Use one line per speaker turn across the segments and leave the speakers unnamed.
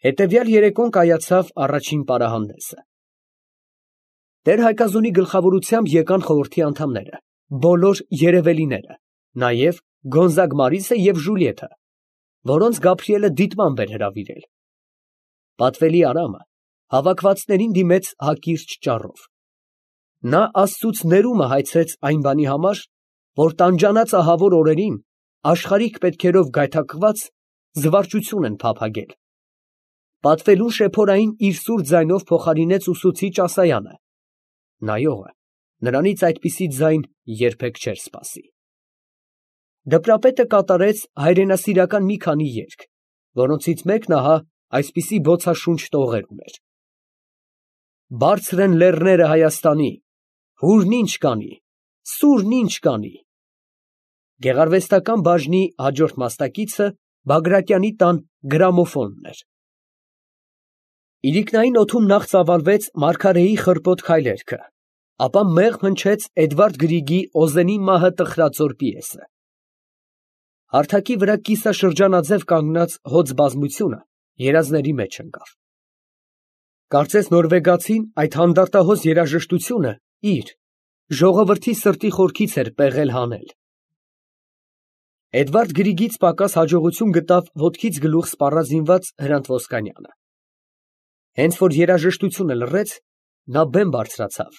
Հետևյալ երեկոն կայացավ առաջին պարահանդեսը։ Տեր֊Հայկազունի գլխավորությամբ եկան խորհրդի անդամները, բոլոր երևելիները, նաև Գոնզագ Մարիսը և Ժուլիետը, որոնց Գաբրիելը դիտմամբ էր հրավիրել։ Պատվելի Արամը հավաքվածներին դիմեց հակիրճ ճառով։ Նա Աստծուց ներումը հայցեց այն բանի համար, որ տանջանած ահավոր օրերին աշխարհիկ պետքերով գայթակղված զվարճություն են փափագել։ Պատվելուն շեփորային իր սուր ձայնով փոխարինեց ուսուցիչ Ասայանը։ Նայողը նրանից այդպիսի ձայն երբեք չէր սպասի։ Դպրապետը կատարեց հայրենասիրական մի քանի երգ, որոնցից մեկն ահա այսպիսի բոցաշունչ տողեր ուներ. Բարձր են լեռները Հայաստանի, հուրն ինչ կանի, սուրն ինչ կանի։ Գեղարվեստական բաժնի հաջորդ մասնակիցը Բագրատյանի տան գրամոֆոնն էր։ Իրիկնային օդում նախ ծավալվեց Մարգարեի խռպոտ քայլերքը, ապա մեղմ հնչեց Էդվարդ Գրիգի Օզենի մահը տխրածոր պիեսը։ Հարթակի վրա կիսաշրջանաձև կանգնած հոծ բազմությունը երազների մեջ ընկավ։ Կարծես նորվեգացին այդ հանդարտահոս երաժշտությունը իր ժողովրդի սրտի խորքից էր պեղել հանել։ Էդվարդ Գրիգից պակաս հաջողություն գտավ ոտքից գլուխ սպառազինված Հրանտ Ոսկանյանը։ Հենց որ երաժշտությունը լռեց, նա բեմ բարձրացավ,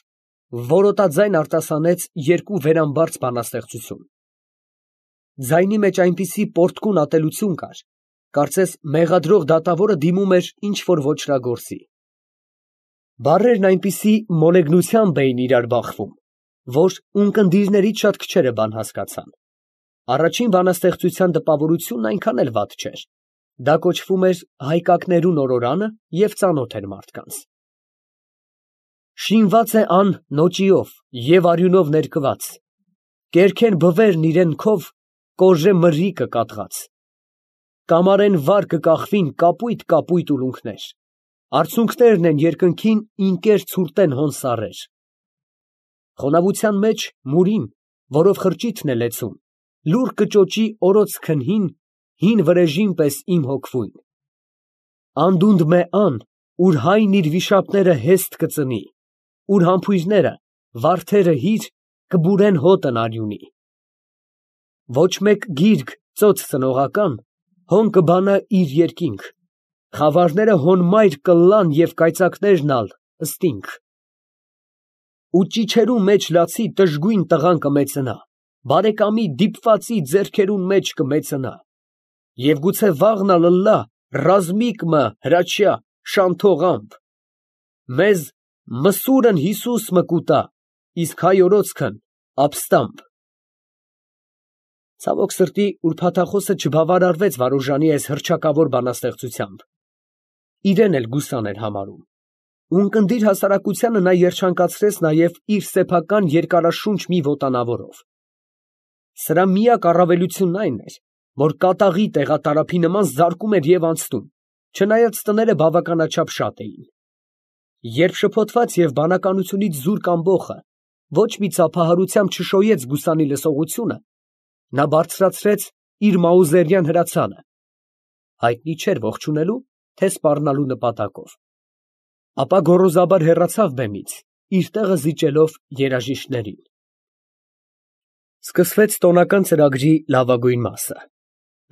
որոտաձայն արտասանեց երկու վերամբարձ բանաստեղծություն։ Ձայնի մեջ այնպիսի պոռթկուն ատելություն կար, կարծես մեղադրող դատավորը դիմում էր ինչ-որ ոճրագործի։ Բառերն այնպիսի մոլեգնությամբ էին իրար բախվում, որ ունկնդիրներից շատ քչերը բան հասկացան։ Առաջին բանաստեղծության տպավորությունն այնքան էլ վատ չէր։ Դա կոչվում էր Հայկակներու նորորանը և ծանոթ էր մարդկանց։ Շինված է ան նոճիով և արյունով ներկված, կերքեն բվերն իրեն քով, կոժե մրրիկը կատղած, կամարեն վար կկախվին կապույտ ուլունքներ, արցունքներն են երկնքին ինկեր ցուրտեն հոն սառեր։ Խոնավության մեջ մուրին, որով խրճիթն է լեցուն, լուռ կճոճի օրոց քնհին, հին վրեժին պես իմ հոգվույն։ Անդունդը մե ան, ուր հայն իր վիշապները հեստ կծնի, ուր համբույրները, վարդերը հիր, կբուրեն հոտն արյունի։ Ոչ մեկ գիրք ծոց ծնողական, հոն կբանա իր երկինք, խավարները հոն մայր կլլան և կայծակներն ալ ըստինք։ Ու ճիչերու մեջ լացի տժգույն տղան կմեծնա, բարեկամի դիպվածի ձեռքերուն մեջ կմեծնա, և գուցե վաղն ալ ըլլա ռազմիկ մը հրաչյա շանթողամբ, մեզ մսուրն Հիսուս մը կուտա, իսկ հայօրոցքն ապստամբ։ Ցավոք սրտի ուրփաթախոսը չբավարարվեց Վարուժանի այս հռչակավոր բանաստեղծությամբ, իրեն էլ գուսան էր համարում։ Ունկնդիր հասարակությանը նա երջանկացրեց նաև իր սեփական երկարաշունչ մի ոտանավորով։ Սրա միակ առավելությունն այն էր, որ կատաղի տեղատարափի նման զարկում էր և անցնում, չնայած տները բավականաչափ շատ էին։ Երբ շփոթված և բանականությունից զուրկ ամբոխը ոչ մի ծափահարությամբ չշոյեց գուսանի լսողությունը, նա բարձրացրեց իր մաուզերյան հրացանը, հայտնի չէր ողջունելու, թե սպառնալու նպատակով, ապա գոռոզաբար հեռացավ բեմից, իր տեղը զիջելով երաժիշտներին։ Սկսվեց տոնական ծրագրի լավագույն մասը։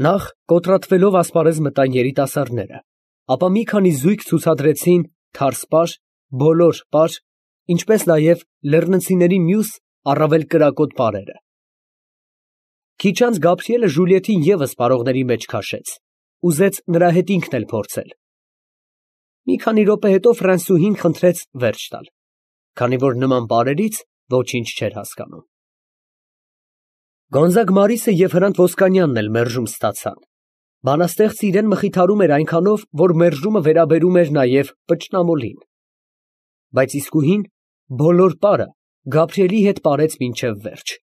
Նախ կոտրատվելով ասպարեզ մտան երիտասարդները, ապա մի քանի զույգ ցուցադրեցին թարսպար, բոլոր պար, ինչպես նաև լեռնցիների մյուս առավել կրակոտ պարերը։ Քիչ անց Գաբրիելը Ժուլիետին ևս պարողների մեջ քաշեց, ուզեց նրա հետ ինքն էլ փորձել։ Մի քանի րոպե հետո Ֆրանսուհին խնդրեց վերջ տալ, քանի որ նման պարերից ոչինչ չէր հասկանում։ Գոնզագ Մարիսը և Հրանտ Ոսկանյանն էլ մերժում ստացան։ Բանաստեղծը իրեն մխիթարում էր այնքանով, որ մերժումը վերաբերում էր նաև պճնամոլին։ Բայց իսկուհին բոլոր պարը Գաբրիելի հետ պարեց մինչև վերջ։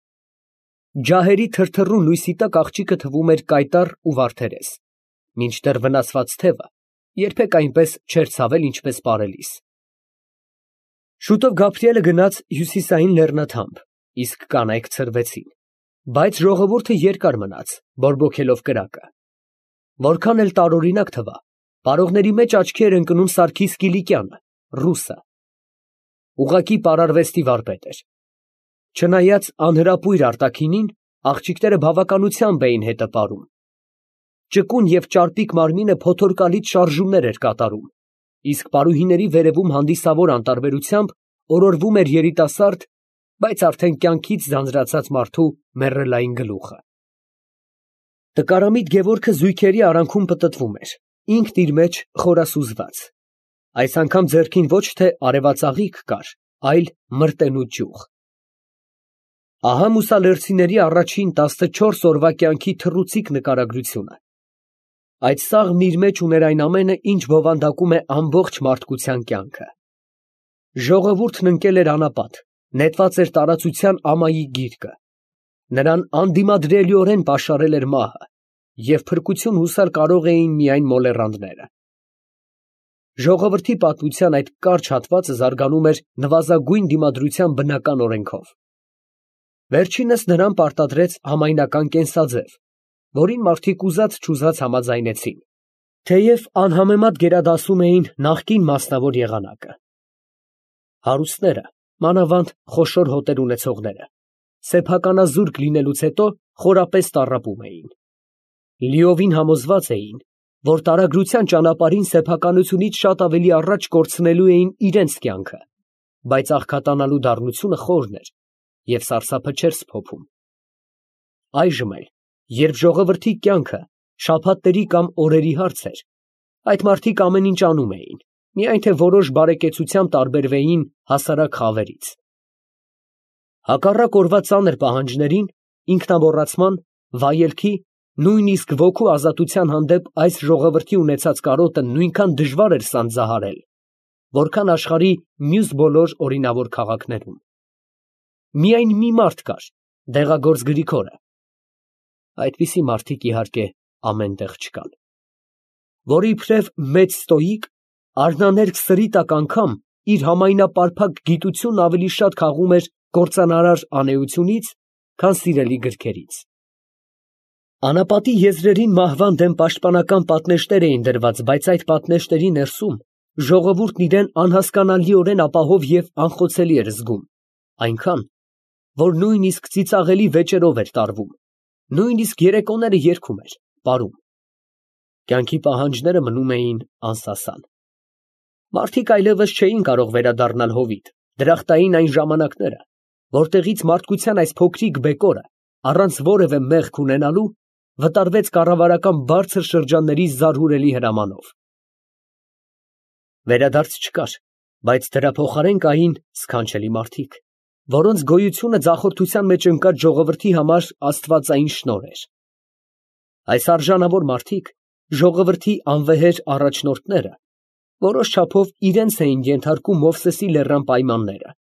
Ջահերի թրթռուն լույսի տակ աղջիկը թվում էր կայտառ ու վարդերես, մինչդեռ վնասված թևը երբեք այնպես չէր ցավել, ինչպես պարելիս։ Շուտով Գաբրիելը գնաց հյուսիսային լեռնաթամբ, իսկ կանայք ցրվեցին, բայց ժողովուրդը երկար մնաց, բորբոքելով կրակը։ Որքան էլ տարօրինակ թվա, Պարողների մեջ աչքի էր ընկնում Սարգիս Կիլիկյանը, ռուսը։ Ուղղակի պարարվեստի վարպետ էր։ Չնայած անհրապույր արտաքինին, աղջիկները բավականությամբ էին հետը պարում։ Ճկուն և ճարպիկ մարմինը փոթորկալից շարժումներ էր կատարում, իսկ պարուհիների վերևում հանդիսավոր անտարբերությամբ օրորվում էր երիտասարդ, բայց արդեն կյանքից ձանձրացած մարդու մեռելային գլուխը։ Տկարամիտ Գևորգը զույգերի արանքում պտտվում էր, ինքն իր մեջ խորասուզված։ Այս անգամ ձեռքին ոչ թե արևածաղիկ կար, այլ մրտենու ճյուղ։ Ահա մուսալերցիների առաջին 14 օրվա կյանքի թռուցիկ նկարագրությունը։ Այդ սաղմն իր մեջ ուներ այն ամենը, ինչ բովանդակում է ամբողջ մարդկության կյանքը։ Ժողովուրդն ընկել էր անապատ, նետված էր տարածության ամայի գիրկը։ Նրան անդիմադրելիորեն պաշարել էր մահը, և փրկություն հուսալ կարող էին միայն մոլեռանդները։ Ժողովրդի պատմության այդ կարճ հատվածը զարգանում էր նվազագույն դիմադրության բնական օրենքով։ Վերջինս նրան պարտադրեց համայնական կենսաձև, որին մարդիկ ուզած-չուզած համաձայնեցին, թեև անհամեմատ գերադասում էին նախկին մասնավոր եղանակը։ Հարուստները, մանավանդ խոշոր հոտեր ունեցողները, սեփականազուրկ լինելուց հետո խորապես տառապում էին։ Լիովին համոզված էին, որ տարագրության ճանապարհին սեփականությունից շատ ավելի առաջ կորցնելու էին իրենց կյանքը, բայց աղքատանալու դառնությունը խորն էր և սարսափը չէր սփոփում։ Այժմ էլ, երբ ժողովրդի կյանքը շաբաթների կամ օրերի հարց էր, այդ մարդիկ ամեն ինչ անում էին, միայն թե որոշ բարեկեցությամբ տարբերվեին հասարակ խավերից։ Հակառակ օրվա ծանր պահանջներին, ինքնամոռացման, վայելքի, նույնիսկ ոգու ազատության հանդեպ այս ժողովրդի ունեցած կարոտը նույնքան դժվար էր սանձահարել, որքան աշխարհի մյուս բոլոր օրինավոր քաղաքներում։ Միայն մի մարդ կար, Դեղագործ Գրիգորը (այդպիսի մարդիկ, իհարկե, ամեն տեղ չկան), որ իբրև մեծ ստոիկ, արհնաներկ սրիտակ անգամ իր համայնապարփակ գիտությունն ավելի շատ քաղում էր կործանարար անէությունից, քան սիրելի գրքերից։ Անապատի եզրերին մահվան դեմ պաշտպանական պատնեշներ էին դրված, բայց այդ պատնեշների ներսում ժողովուրդն իրեն անհասկանալիորեն ապահով և անխոցելի էր զգում, այնքան, որ նույնիսկ ծիծաղելի վեճերով էր տարվում, նույնիսկ երեկոները երգում էր, պարում։ Կյանքի պահանջները մնում էին անսասան։ Մարդիկ այլևս չէին կարող վերադառնալ հովիտ, դրախտային այն ժամանակները, որտեղից մարդկության այս փոքրիկ բեկորը, առանց որևէ մեղք ունենալու, վտարվեց կառավարական բարձր շրջանների զարհուրելի հրամանով։ Վերադարձ չկար, բայց դրա փոխարեն կային սքանչելի մարդիկ, որոնց գոյությունը ձախորդության մեջ ընկած ժողովրդի համար աստվածային շնորհ էր։ Այս արժանավոր մարդիկ, ժողովրդի անվեհեր առաջնորդները, որոշ չափով իրենց էին ենթարկում Մովսեսի լեռան պայմանները,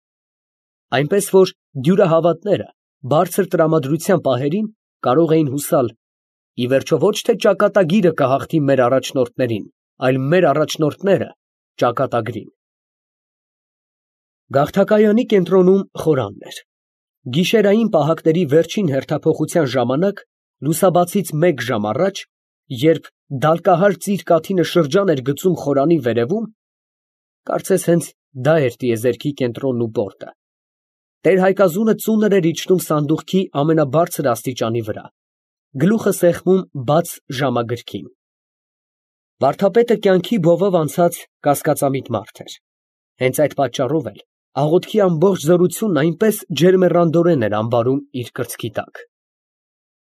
այնպես որ դյուրահավատները բարձր տրամադրության պահերին կարող էին հուսալ, ի վերջո ոչ թե ճակատագիրը կհաղթի մեր առաջնորդներին, այլ մեր առաջնորդները ճակատագրին։ Գաղթակայանի կենտրոնում խորանն էր։ Գիշերային պահակների վերջին հերթափոխության ժամանակ, լուսաբացից 1 ժամ առաջ, երբ դալկահար ծիր կաթինը շրջան էր գցում խորանի վերևում, կարծես հենց դա էր տիեզերքի կենտրոնն ու պորտը, տեր-Հայկազունը ծունր էր իջնում սանդուղքի ամենաբարձր աստիճանի վրա, գլուխը սեղմում բաց ժամագրքին։ Վարդապետը կյանքի բովով անցած կասկածամիտ մարդ էր։ Հենց այդ պատճառով էլ աղոթքի ամբողջ զորությունն այնպես ջերմեռանդորեն էր ամբարում իր կրծքի տակ։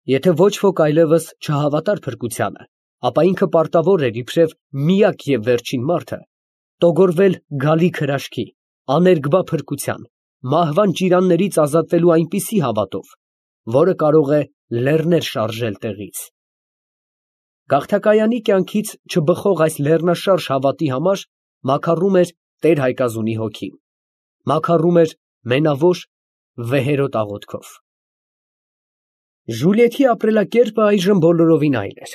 Եթե ոչ ոք այլևս չհավատար փրկությանը, ապա ինքը պարտավոր էր իբրև միակ և վերջին մարդը տոգորվել գալիք հրաշքի, աներկբա փրկության, մահվան ճիրաններից ազատվելու այնպիսի հավատով, որը կարող է լեռներ շարժել տեղից։ Գաղթակայանի կյանքից չբխող այս լեռնաշարժ հավատի համար մաքառում էր տեր֊Հայկազունի հոգին, մաքառում էր մենավոր, վեհերոտ աղոթքով։ Ժուլիեթի ապրելակերպը այժմ բոլորովին այլ էր։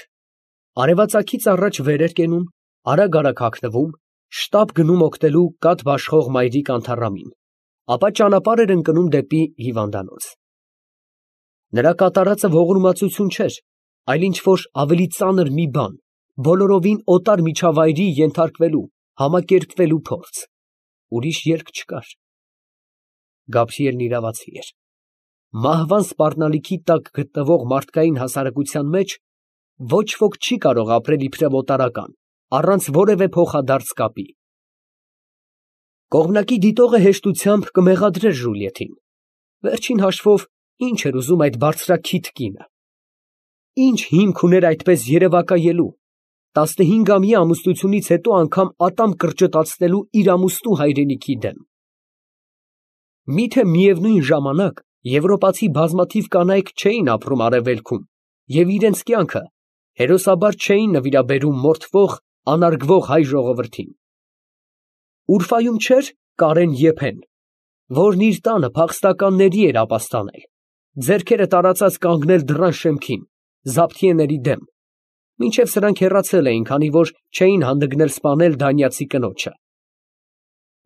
Արևածագից առաջ վեր էր կենում, արագ հագնվում, շտապ գնում օգնելու կաթ բաշխող մայրիկ Անթառամին, ապա ճանապարհ էր ընկնում դեպի հիվանդանոց։ Նրա կատարածը ողորմածություն չէր, այլ ինչ֊որ ավելի ծանր մի բան, բոլորովին օտար միջավայրի ենթարկվելու, համակերպվելու փորձ։ Ուրիշ ելք չկար։ Գաբրիելն իրավացի էր։ Մահվան սպառնալիքի տակ գտնվող մարդկային հասարակության մեջ ոչ ոք չի կարող ապրել իբրև օտարական, առանց որևէ փոխադարձ կապի։ Կողմնակի դիտողը հեշտությամբ կմեղադրեր Ժուլիետին։ Վերջին հաշվով, ինչ էր ուզում այդ բարձրաքիթ կինը։ Ինչ հիմք ուներ այդպես երևակայելու, 15-ամյա ամուսնությունից հետո անգամ ատամ կրճտացնելու իր ամուսնու հայրենիքի դեմ։ Միթե միևնույն ժամանակ եվրոպացի բազմաթիվ կանայք չէին ապրում արևելքում և իրենց կյանքը հերոսաբար չէին նվիրաբերում մորթվող, անարգվող հայ ժողովրդին։Ուրֆայում չէր Կարեն Եփեն, որն իր տանը փախստականների էր ապաստանել, ձեռքերը տարածած կանգնել դռան շեմքին, զաբթիեների դեմ, մինչև սրանք հեռացել էին, քանի որ չէին հանդգնել սպանել դանիացի կնոջը։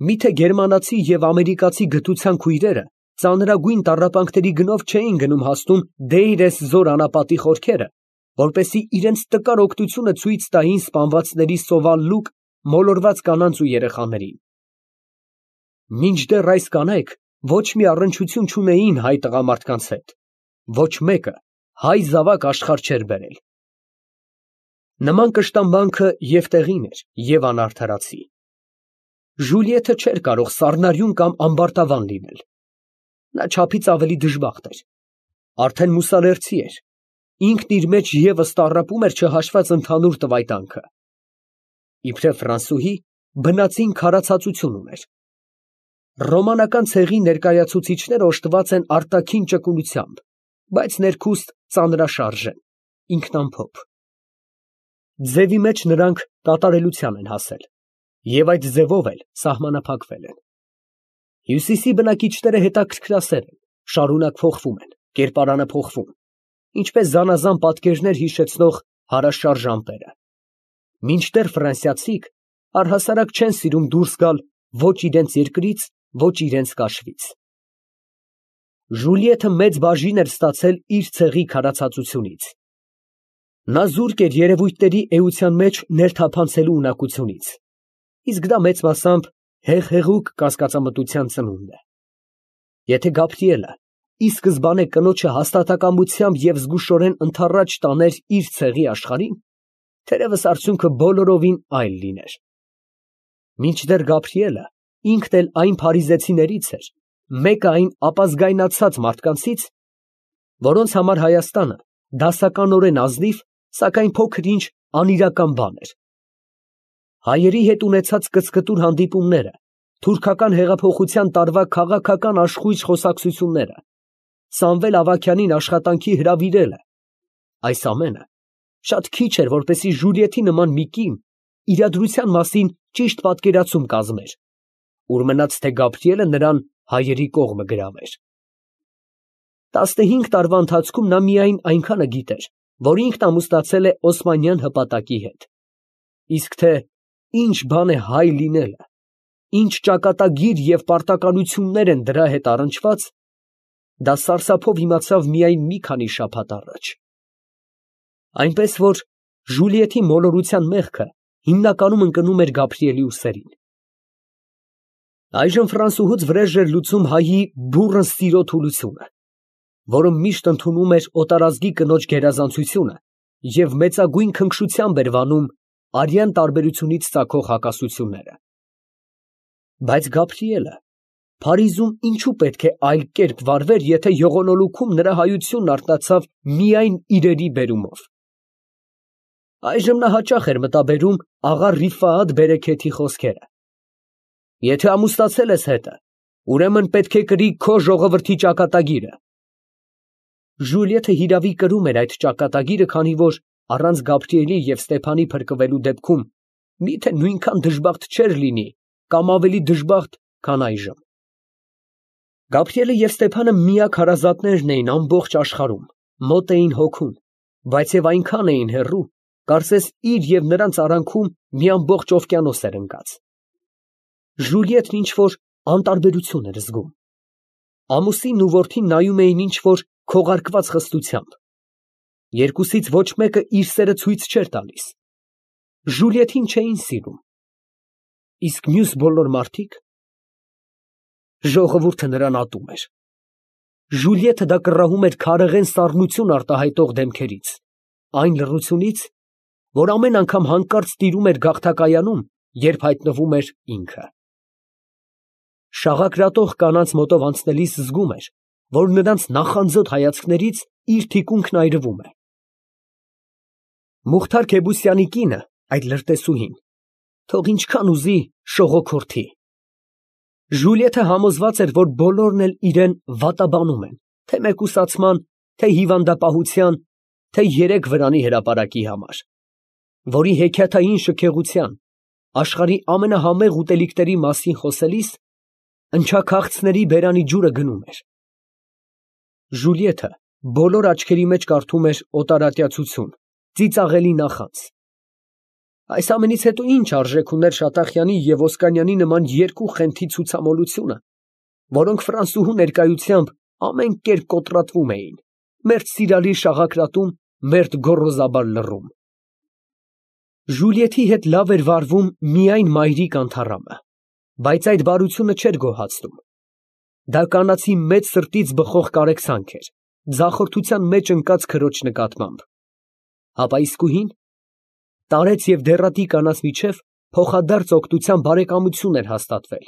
Միթե գերմանացի և ամերիկացի գթության քույրերը ծանրագույն տառապանքների գնով չէին գնում հասնում Դեյր էզ-Զոր անապատի խորքերը, որպեսզի իրենց տկար օգնությունը ցույց տային սպանվածների սովալ լուկ մոլորված կանանց ու երեխաներին։ Մինչդեռ այս կանայք ոչ մի առնչություն չունեին հայ տղամարդկանց հետ, ոչ մեկը հայ զավակ աշխարհ չէր բերել։ Նման կշտամբանքը և տեղին էր, և անարդարացի։ Ժուլիեթը չէր կարող սառնարյուն կամ ամբարտավան լինել։ Նա չափից ավելի դժբախտ էր, արդեն մուսալերցի էր, ինքն իր մեջ ևս տառապում էր չհաշված ընդհանուր տվայտանքը։ Իբրև ֆրանսուհի բնածին քարացածություն ուներ։ Ռոմանական ցեղի ներկայացուցիչները օժտված են արտաքին ճկունությամբ, բայց ներքուստ ծանրաշարժ են, ինքնամփոփ։ Ձևի մեջ նրանք կատարելության են հասել և այդ ձևով էլ սահմանափակվել են։ Հյուսիսի բնակիչները հետաքրքրասեր են, շարունակ փոխվում են, կերպարանը փոխվում, ինչպես զանազան պատկերներ հիշեցնող հարաշարժ ամպերը։ Մինչդեռ ֆրանսիացիք առհասարակ չեն սիրում դուրս գալ ոչ իրենց երկրից, ոչ իրենց կաշվից։ Ժուլիեթը մեծ բաժին էր ստացել իր ցեղի քարացածությունից։ Նա զուրկ էր երևույթների էության մեջ ներթափանցելու ունակությունից, իսկ դա մեծ մասամբ հեղեղուկ կասկածամտության ծնունդ է։ Եթե Գաբրիելը ի սկզբանե կնոջը հաստատակամությամբ և զգուշորեն ընդառաջ տաներ իր ցեղի աշխարհին, թերևս արդյունքը բոլորովին այլ լիներ։ Մինչդեռ Գաբրիելը ինքն էլ այն փարիզեցիներից էր, մեկը այն ապազգայնացած մարդկանցից, որոնց համար Հայաստանը դասականորեն ազնիվ, սակայն փոքր-ինչ անիրական բան էր։ Հայերի հետ ունեցած կծկտուր հանդիպումները, թուրքական հեղափոխության տարվա քաղաքական աշխույժ խոսակցությունները, Սամվել Ավագյանին աշխատանքի հրավիրելը, այս ամենը շատ քիչ էր, որպեսզի Ժուլիետի նման մի կին իրադրության մասին ճիշտ պատկերացում կազմեր, ուր մնաց թե Գաբրիելը նրան հայերի կողմը գրավեր։ 15 տարվա ընթացքում նա միայն այնքանը գիտեր, որ ինքն ամուսնացել է օսմանյան հպատակի հետ, իսկ թե ինչ բան է հայ լինելը, ինչ ճակատագիր և պարտականություններ են դրա հետ առնչված, դա սարսափով իմացավ միայն մի քանի շաբաթ առաջ։ Այնպես որ Ժուլիետի մոլորության մեղքը հիմնականում ընկնում էր Գաբրիելի ուսերին։ Այժմ ֆրանսուհուց վրեժ էր լուծում հայի բուռն սիրո թուլությունը, որը միշտ ընդունում էր օտարազգի կնոջ գերազանցությունը և մեծագույն քնքշությամբ էր վանում արյան տարբերությունից ծագող հակասությունները։ Բայց Գաբրիելը Փարիզում ինչու պետք է այլ կերպ վարվեր, եթե յողոնոլուքում նրա հայությունն արթնացավ միայն իրերի բերումով։ Այժմ նա հաճախ էր մտաբերում աղա Ռիֆաատ Բերեքեթի խոսքերը. «Եթե ամուսնացել ես հետը, ուրեմն պետք է կրի քո ժողովրդի ճակատագիրը»։ Ժուլիեթը հիրավի կրում էր այդ ճակատագիրը, քանի որ առանց Գաբրիելի և Ստեփանի փրկվելու դեպքում միթե նույնքան դժբախտ չէր լինի կամ ավելի դժբախտ, քան այժմ։ Գաբրիելը և Ստեփանը միակ հարազատներն էին ամբողջ աշխարհում, մոտ էին հոգուն, բայց և այնքան էին հեռու, կարծես իր և նրանց արանքում մի ամբողջ օվկիանոս էր ընկած։ Ժուլիետն ինչ֊որ անտարբերություն էր զգում։ Ամուսինն ու որդին նայում էին ինչ֊որ քողարկված խստությամբ։ Երկուսից ոչ մեկը իր սերը ցույց չէր տալիս։ Ժուլիետին չէին սիրում։ Իսկ մյուս բոլոր մարդիկ։ Ժողովուրդը նրան ատում էր։ Ժուլիետը դա կռահում էր քարեղեն սառնություն արտահայտող դեմքերից, այն լռությունից, որ ամեն անգամ հանկարծ տիրում էր գաղթակայանում, երբ հայտնվում էր ինքը։ Շաղակրատող կանանց մոտով անցնելիս զգում էր, որ նրանց նախանձոտ հայացքներից իր թիկունքն այրվում է։ Մուխթար Քեբուսյանի կինը, այդ լրտեսուհին, թող ինչքան ուզի շողոքորթի։ Ժուլիետը համոզված էր, որ բոլորն էլ իրեն վատաբանում են, թե մեկուսացման, թե հիվանդապահության, թե երեք վրանի հրապարակի համար, որի հեքիաթային շքեղության, աշխարհի ամենահամեղ ուտելիքների մասին խոսելիս ընչաքաղցների բերանի ջուրը գնում էր։ Ժուլիետը բոլոր աչքերի մեջ կարդում էր օտարատյացություն, ծիծաղելի նախանձ։ Այս ամենից հետո ինչ արժեք ուներ Շատախյանի և Օսկանյանի նման երկու խենթի ցուցամոլությունը, որոնք Ֆրանսուհու ներկայությամբ ամեն կերպ կոտրատվում էին, մերթ սիրալիր շաղակրատում, մերթ գոռոզաբար լռում։ Ժուլիետի հետ լավ էր վարվում միայն մայրիկ Անթառամը, բայց այդ բարությունը չէր գոհացնում։ Դա կանացի մեծ սրտից բխող կարեկցանք էր, ձախորդության մեջ ընկած քրոջ նկատմամբ։ Հապա իսկույն տարեց և դեռատի կանանց միջև փոխադարձ օգնության բարեկամություն էր հաստատվել,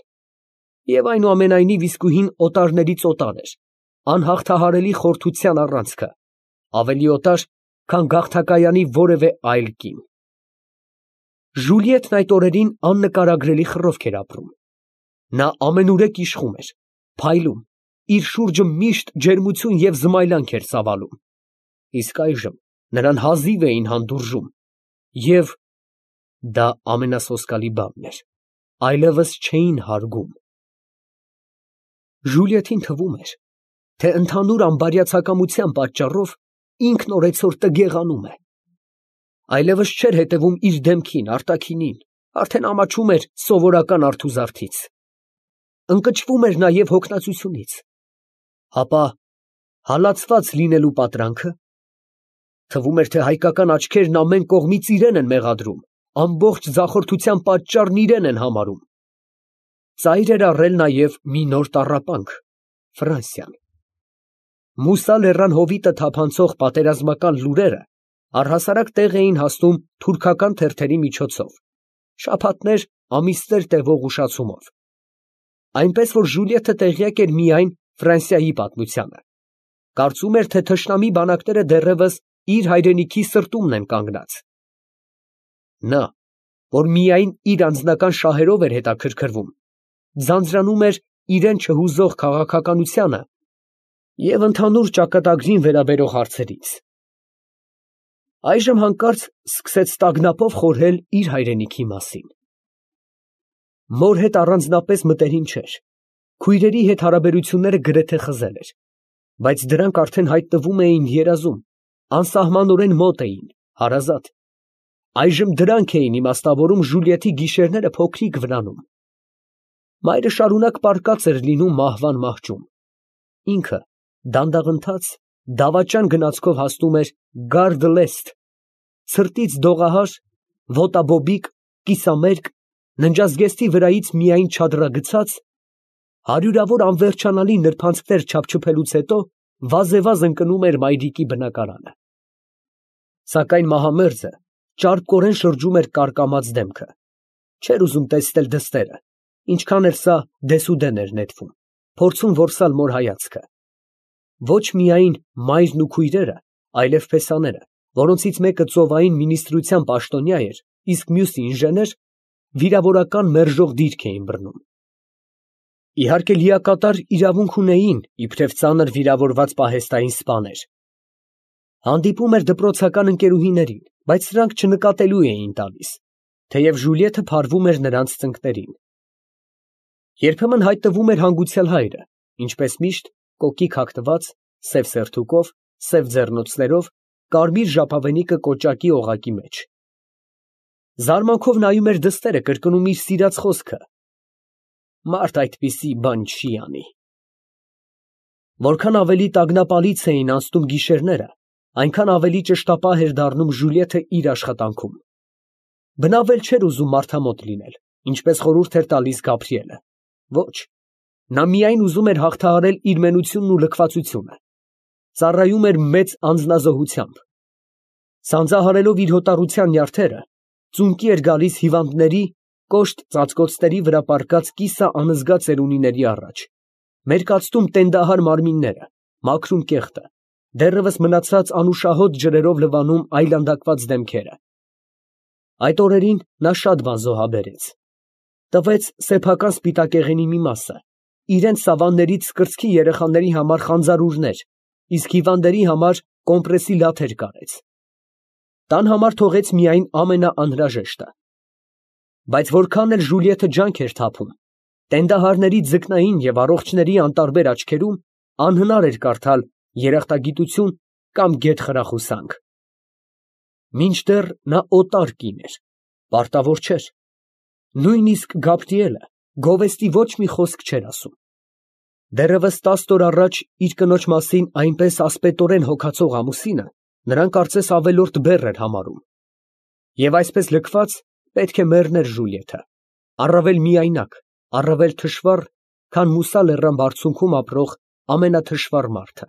և այնուամենայնիվ իսկույն օտարներից օտար էր, անհաղթահարելի խորթության առանցքը, ավելի օտար, քան գաղթակայանի որևէ այլ կին։ Ժուլիետն այդ օրերին աննկարագրելի խռովք էր ապրում։ Նա ամենուրեք իշխում էր, փայլում, իր շուրջը միշտ ջերմություն և զմայլանք էր ծավալում, իսկ այժմ նրան հազիվ էին հանդուրժում, և դա ամենասոսկալի բանն էր, այլևս չէին հարգում։ Ժուլիետին թվում էր, թե ընդհանուր անբարյացակամության պատճառով ինքն օրեցօր տգեղանում է։ Այլևս չէր հետևում իր դեմքին, արտաքինին, արդեն ամաչում էր սովորական արթուզարդից։ Ընկճվում էր նաև հոգնածությունից։ Հապա հալածված լինելու պատրանքը։ Թվում էր, թե հայկական աչքերն ամեն կողմից իրեն են մեղադրում, ամբողջ ձախորդության պատճառն իրեն են համարում։ Ծայր էր առել նաև մի նոր տառապանք՝ Ֆրանսիան։ Մուսա լեռան հովիտը թափանցող պատերազմական լուրերը առհասարակ տեղ էին հասնում թուրքական թերթերի միջոցով, շաբաթներ, ամիսներ տևող ուշացումով։ Այնպես որ Ժուլիետը տեղյակ էր միայն Ֆրանսիայի պատմությանը, կարծում էր, թե թշնամի բանակները դեռևս իր հայրենիքի սրտումն են կանգնած։ Նա, որ միայն իր անձնական շահերով էր հետաքրքրվում, ձանձրանում էր իրեն չհուզող քաղաքականությանը և ընդհանուր ճակատագրին վերաբերող հարցերից։ Այժմ հանկարծ սկսեց տագնապով խորհել իր հայրենիքի մասին։ Մոր հետ առանձնապես մտերիմ չէր, քույրերի հետ հարաբերությունները գրեթե խզել էր, բայց դրանք արդեն հայտնվում էին երազում, անսահմանորեն մոտ էին, հարազատ։ Այժմ դրանք էին իմաստավորում Ժուլիետի գիշերները փոքրիկ վրանում։ Մայրը շարունակ պառկած էր լինում մահվան մահճում։ Ինքը դանդաղընթաց, դավաճան գնացքով հասնում էր Գարդ Լեստ, ցրտից դողահար, ոտաբոբիկ, կիսամերկ, ննջազգեստի վրայից միայն չադրագցած, հարյուրավոր անվերջանալի նրբանցքներ չափչփելուց հետո վազևազ ընկնում էր մայրիկի բնակարանը։ Սակայն մահամերձը ճարպկորեն շրջում էր կարկամած դեմքը, չէր ուզում տեսնել դստերը, ինչքան էլ սա դեսուդեն էր նետվում, փորձում որսալ մոր հայացքը։ Ոչ միայն մայրն ու քույրերը, այլև փեսաները, որոնցից մեկը ծովային մինիստրության պաշտոնյա էր, իսկ մյուսը ինժեներ, վիրավորական մերժող դիրք էին բռնում։ Իհարկե լիակատար իրավունք ունեին, իբրև ծանր վիրավորված պահեստային սպաներ։ Հանդիպում էր դպրոցական ընկերուհիներին, բայց սրանք չնկատելու էին տալիս, թեև Ժուլիետը փարվում էր նրանց ծնկներին։ Երբեմն հայտնվում էր հանգուցյալ հայրը, ինչպես միշտ, կոկիկ հագնված, սև սերթուկով, սև ձեռնոցներով, կարմիր ժապավենիքը կոճակի օղակի մեջ։ Զարմանքով նայում էր դստերը, կրկնում իր սիրած խոսքը. «Մարդ այդպիսի բան չի անի»։ Որքան ավելի տագնապալից էին անցնում գիշերները, այնքան ավելի ճշտապահ էր դառնում Ժուլիետը իր աշխատանքում։ Բնավել չէր ուզում մարդամոտ լինել, ինչպես խորհուրդ էր տալիս Գաբրիելը։ Ոչ, նա միայն ուզում էր հաղթահարել իր մենությունն ու լքվածությունը, ծառայում էր մեծ անձնազոհությամբ։ Սանձահարելով իր հոտառության նյարդերը, ծունկի էր գալիս հիվանդների, կոշտ ծածկոցների վրա պառկած կիսաանզգա ծերունիների առաջ, մերկացնում տենդահար մարմինները, մաքրում կեղտը, դեռևս մնացած անուշահոտ ջրերով լվանում այլանդակված դեմքերը։ Այդ օրերին նա շատ բան զոհաբերեց։ Տվեց սեփական սպիտակեղենի մի մասը, իրենց սավաններից կրծքի երեխաների համար խանձարուրներ, իսկ հիվանդերի համար կոմպրեսի լաթեր կարեց։ Տան համար թողեց միայն ամենաանհրաժեշտը։ Բայց որքան էլ Ժուլիեթը ջանք էր թափում, տենդահարների ձկնային և առողջների անտարբեր աչքերում անհնար էր կարդալ երախտագիտություն կամ գեթ֊խրախուսանք։ Մինչդեռ նա օտար կին էր, պարտավոր չէր։ Նույնիսկ Գաբրիելը գովեստի ոչ մի խոսք չէր ասում։ Դեռևս 10 օր առաջ իր կնոջ մասին այնպես ասպետորեն հոգացող ամուսինը նրան կարծես ավելորդ բեռ էր համարում։ Եվ այսպես լքված պետք է մեռներ Ժուլիեթը, առավել միայնակ, առավել թշվառ, քան Մուսա լեռան բարձունքում ապրող ամենաթշվառ մարդը։